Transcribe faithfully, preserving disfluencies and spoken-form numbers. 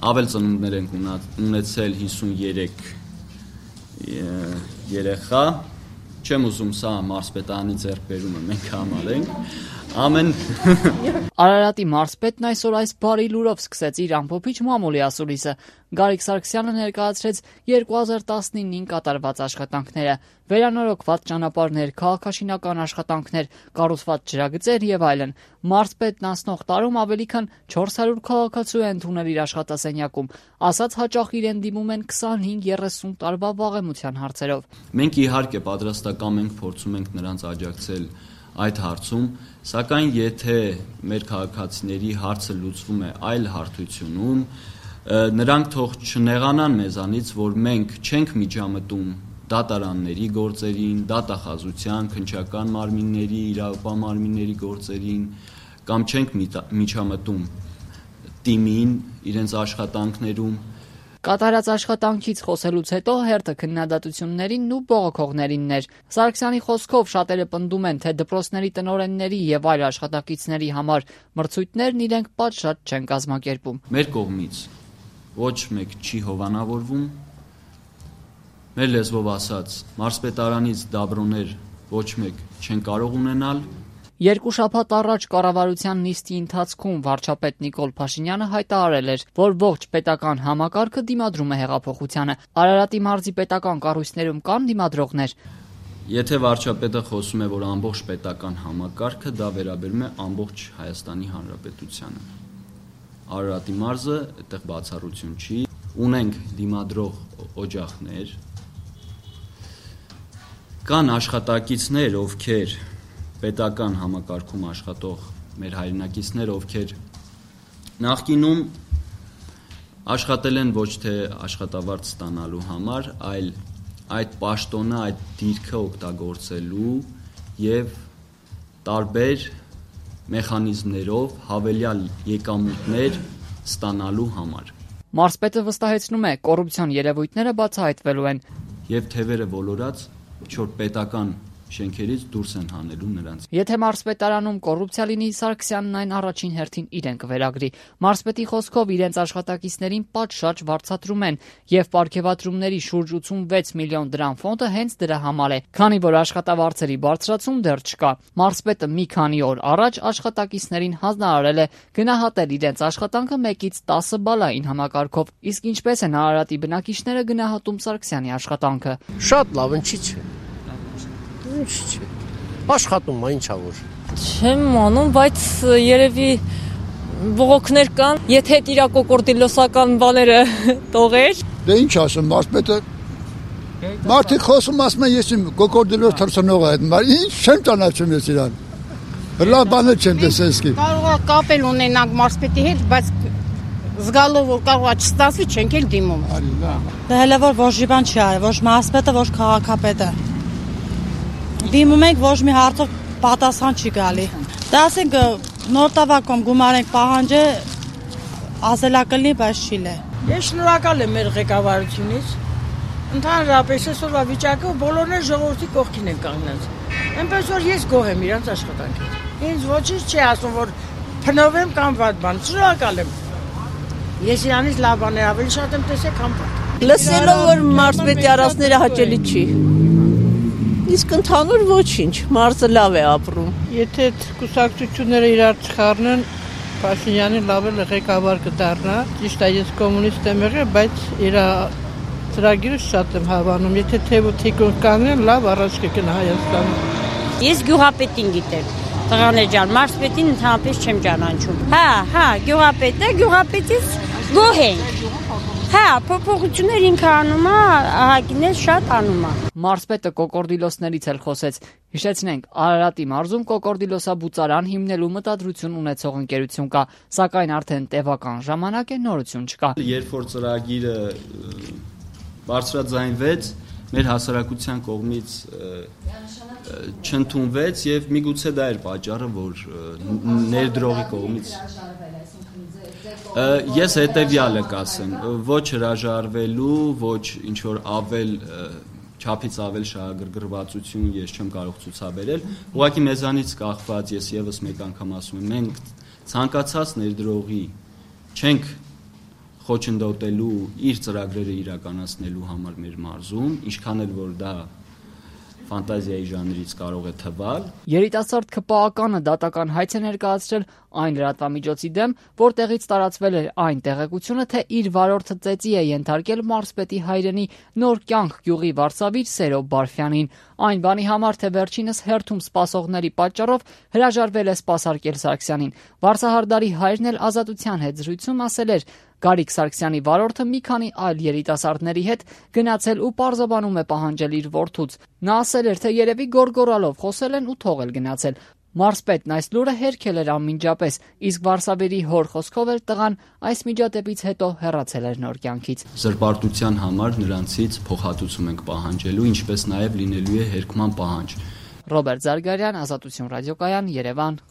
Ավել ծնունդներ ենք ունեցել հիսուններեք երեխա, չեմ ուզում սա մարզպետարանի ձեռքբերումը մենք համարենք, ամեն Արարատի մարզպետն այսօր այս բարի լուրով սկսեց իր ամփոփիչ մամուլի ասուլիսը։ Գարիկ Սարգսյանը ներկայացրեց երկու հազար տասնինին կատարված աշխատանքները, վերանորոգված ճանապարհներ, քաղաքաշինական աշխատանքներ, կառուցված ջրագծեր եւ այլն։ Մարզպետն անցնող տարում ավելի քան չորս հարյուր քաղաքացու է ընդունել իր աշխատասենյակում, ասած հաճախ իրեն դիմում են քսանհինգ երեսուն տարվա վաղեմության հարցերով։ Մենք իհարկե պատրաստական ենք, փորձում ենք նրանց աջակցել այդ հարցում, սակայն եթե մեր քաղաքացիների հարցը լուծվում է այլ հարթությունում, նրանք թող չնեղանան մեզանից, որ մենք չենք միջամտում դատարանների գործերին, դատախազության, քննչական մարմինների, իրավապահ մարմինների գործերին, կամ չենք միջամտում տիմին իրենց աշխատանքներում։ Կատարած աշխատանքից խոսելուց հետո հերթը քննադատություններին ու բողոքողներինն էր։ Սարգսյանի խոսքով շատերը պնդում են, թե դպրոցների տնօրենների եւ այլ աշխատակիցների համար մրցույթներն իրենք պատշաճ չեն կազմակերպում։ Մեր կողմից ոչ մեկ չի հովանավորվում։ Մեր լեզվով ասած, մարզպետարանից դաբրոներ ոչ մեկ չեն կարող ունենալ։ Երկու շաբաթ առաջ կառավարության նիստի ընթացքում վարչապետ Նիկոլ Փաշինյանը հայտարարել էր, որ ողջ պետական համակարգը դիմադրում է հեղափոխությանը։ Արարատի մարզի պետական կառույցներում կան դիմադրողներ։ Եթե վարչապետը խոսում է, որ ամբողջ պետական համակարգը, դա վերաբերում է ամբողջ Հայաստանի Հանրապետությանը։ Արարատի մարզը այդտեղ բացառություն չի։ Ունենք դիմադրող օջախներ, կան աշխատակիցներ, ովքեր պետական համակարգում աշխատող մեր հայրենակիցներ, ովքեր նախկինում աշխատել են ոչ թե աշխատավարձ ստանալու համար, այլ այդ պաշտոնը, այդ դիրքը օգտագործելու եւ տարբեր մեխանիզմներով հավելյալ եկամուտներ ստանալու համար։ Մարզպետը վստահեցնում է, կոռուպցիոն երևույթները բացահայտվելու են եւ թևերը ոլորած չոր պետական շենքերից դուրս են հանելու նրանց։ Եթե մարզպետարանում կոռուպցիա լինի, Սարգսյանն այն առաջին հերթին իրեն կվերագրի։ Մարզպետի խոսքով իրենց աշխատակիցներին պատշաճ վարձատրում են եւ պարգեւատրումների շուրջ ութսունվեց միլիոն դրամ ֆոնդը հենց դրա համար է, քանի որ աշխատավարձերի բարձրացում դեռ չկա։ Մարզպետը մի քանի օր առաջ աշխատակիցներին հանձնարարել է գնահատել իրենց աշխատանքը մեկից տասը բալային համակարգով։ Իսկ ինչպես են Արարատի բնակիչները գնահատում Սարգսյանի աշխատանքը։ Շատ լավ, ինչի՞ չէ։ Ինչ չէ։ Աշխատում է, ինչա որ։ Չեմ անում, բայց երևի բողոքներ կան, եթե իր կոկորդիլոսական բաները տողեր։ Դե ինչ ասեմ, մարզպետը մարդիկ խոսում ասում են, ես իմ կոկորդիլոս թռցնող եմ, ինչ չեմ ճանաչում ես իրան։ Լավ բաներ չեմ տեսել իսկի։ Կարող է կապել ունենանք մարզպետի հետ, բայց զգալով որ կարող է չստացվի, չենք էլ դիմում։ Դա հələ որ ոչ մի բան չի արել, ոչ մարզպետը, ոչ քաղաքապետը։ Դիմում ենք, ոչ մի հարցով պատասխան չի գալի։ Դա ասենք նոր տավակում գումար ենք պահանջը ասելակլնի, բայց չի լե։ Ես շնորհակալ եմ մեր ղեկավարությունից։ Ընդհանրապես այսօրվա վիճակը բոլորն էլ ժողովրդի կողքին են կանգնած։ Այնպես որ ես գոհ եմ իրանց աշխատանքից։ Ինձ ոչինչ չի ասում, որ փնովեմ կամ վատ բան։ Շնորհակալ եմ։ Ես իրանից լավ բաներ ավելի շատ եմ տեսել, քան վատ։ Լսելով որ մարզպետի արածները հաճելի չի։ Իսկ ընդհանուր ոչինչ, մարզը լավ է ապրում։ Եթե կուսակցությունները իրար չխառնեն, Փաշինյանը լավ է ղեկավար կդառնա։ Ճիշտ է, ես կոմունիստ եմ եղել, բայց իր ծրագիրը շատ եմ հավանում։ Եթե թեւը թիկուն կանեն, լավ առաջ կգնա Հայաստանը։ Ես գյուղապետին գիտեմ։ Տղաներ ջան, մարզպետին ընդհանրապես չեմ ճանաչում։ Հա, հա, գյուղապետը, գյուղապետից գոհ ենք։ Հա, փոփոխություններ ինքը անում է, ահագիներ շատ անում է։ Մարզպետը կոկորդիլոսներից էլ խոսեց։ Հիշեցնենք, Արարատի մարզում կոկորդիլոսաբուծարան հիմնելու մտադրություն ունեցող ընկերություն կա, սակայն արդեն տևական ժամանակ է նորություն չկա։ Երբ որ ծրագիրը բարձրաձայնվեց, մեր հասարակության կողմից չընդունվեց եւ միգուցե դա էր պատճառը, որ ներդրողի կողմից Ես հետևյալը կասեմ, ոչ հրաժարվելու, ոչ ինչ-որ ավել, չափից ավել շահագրգռվածություն ես չեմ կարող ցուցաբերել, ուղղակի մեզանից կախված ես եւս մեկ անգամ ասում եմ, մենք ցանկացած ներդրողի չենք խոչընդոտելու իր ծրագրերը իրականացնելու համար մեր մարզում, ինչքան էլ որ դա ֆանտազիայի ժանրից կարող է թվալ։ Երիտասարդ ՔՊԱ-կանը դատական հայց է ներկայացրել այն լրատվամիջոցի դեմ, որտեղից տարածվել էր այն տեղեկությունը, թե իր վարորդը ծեծի է ենթարկել մարզպետի հայրենի Նոր կյանք գյուղի վարսավիր Սերո Բարֆյանին։ Այն բանի համար, թե վերջինս հերթում սպասողների պատճառով հրաժարվել է սպասարկել Սարգսյանին։ Վարսահարդարի հայրն էլ Ազատության հետ զրույցում ասել էր. Գարիկ Սարգսյանի վարորդը մի քանի այլ երիտասարդների հետ գնացել ու պարզաբանում է պահանջել իր որդուց։ Նա ասել էր, թե երևի գորգորալով խոսել են ու թողել գնացել։ Մարզպետն այս լուրը հերքել էր անմիջապես, իսկ վարսավերի հոր խոսքով էր տղան այս միջադեպից հետո հեռացել էր Նոր կյանքից։ Զրպարտության համար նրանցից փոխհատուցում ենք պահանջելու, ինչպես նաև լինելու է հերքման պահանջ։ Ռոբերտ Զարգարյան, Ազատություն ռադիոկայան, Երևան։